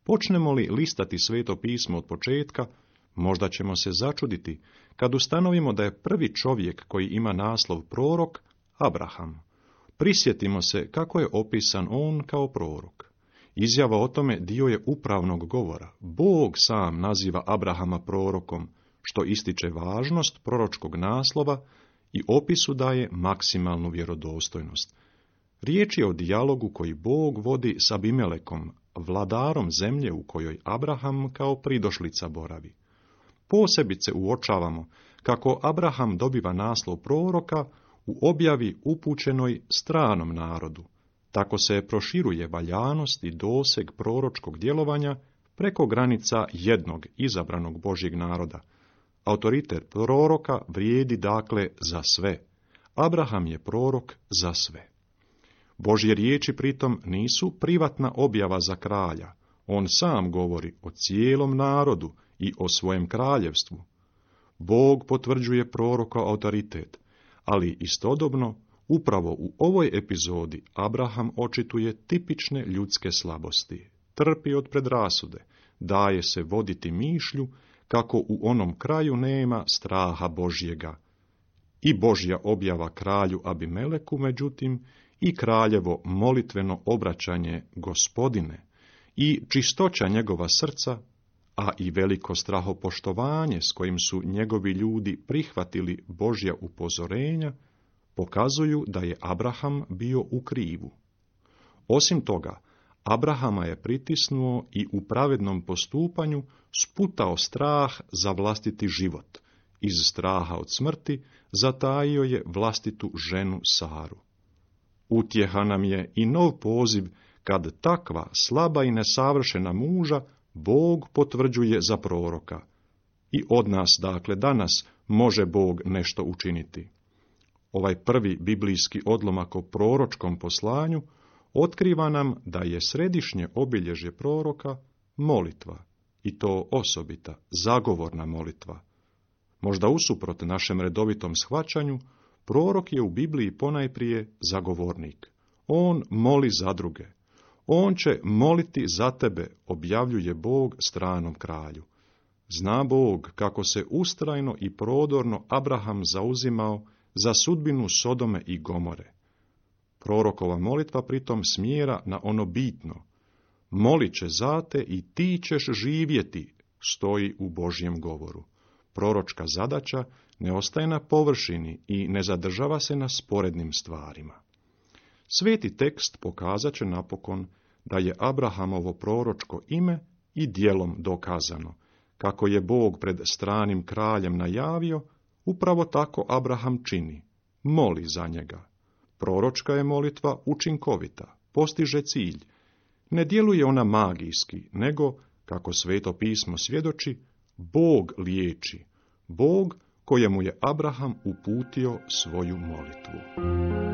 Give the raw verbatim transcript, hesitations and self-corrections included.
Počnemo li listati Sveto pismo od početka, možda ćemo se začuditi kad ustanovimo da je prvi čovjek koji ima naslov prorok Abraham. Prisjetimo se kako je opisan on kao prorok. Izjava o tome dio je upravnog govora. Bog sam naziva Abrahama prorokom, što ističe važnost proročkog naslova i opisu daje maksimalnu vjerodostojnost. Riječ je o dijalogu koji Bog vodi s Abimelekom, vladarom zemlje u kojoj Abraham kao pridošlica boravi. Posebice uočavamo kako Abraham dobiva naslov proroka u objavi upućenoj stranom narodu. Tako se proširuje valjanost i doseg proročkog djelovanja preko granica jednog izabranog Božjeg naroda. Autoritet proroka vrijedi dakle za sve. Abraham je prorok za sve. Božje riječi pritom nisu privatna objava za kralja. On sam govori o cijelom narodu i o svojem kraljevstvu. Bog potvrđuje proroka autoritet, ali istodobno upravo u ovoj epizodi Abraham očituje tipične ljudske slabosti. Trpi od predrasude, daje se voditi mišlju kako u onom kraju nema straha Božjega. I Božja objava kralju Abimeleku, međutim, i kraljevo molitveno obraćanje Gospodine, i čistoća njegova srca, a i veliko strahopoštovanje s kojim su njegovi ljudi prihvatili Božja upozorenja, pokazuju da je Abraham bio u krivu. Osim toga, Abrahama je pritisnuo i u pravednom postupanju sputao strah za vlastiti život. Iz straha od smrti zatajio je vlastitu ženu Saru. Utjeha nam je i nov poziv kad takva slaba i nesavršena muža Bog potvrđuje za proroka. I od nas, dakle, danas može Bog nešto učiniti. Ovaj prvi biblijski odlomak o proročkom poslanju otkriva nam da je središnje obilježje proroka molitva, i to osobita, zagovorna molitva. Možda usuprot našem redovitom shvaćanju, prorok je u Bibliji ponajprije zagovornik. On moli za druge. On će moliti za tebe, objavljuje Bog stranom kralju. Zna Bog kako se ustrajno i prodorno Abraham zauzimao za sudbinu Sodome i Gomore. Prorokova molitva pritom smjera na ono bitno. Molit će za te i ti ćeš živjeti, stoji u Božjem govoru. Proročka zadaća ne ostaje na površini i ne zadržava se na sporednim stvarima. Sveti tekst pokazat će napokon da je Abrahamovo proročko ime i djelom dokazano. Kako je Bog pred stranim kraljem najavio, upravo tako Abraham čini, moli za njega. Proročka je molitva učinkovita, postiže cilj. Ne djeluje ona magijski, nego, kako Sveto pismo svjedoči, Bog liječi, Bog kojemu je Abraham uputio svoju molitvu.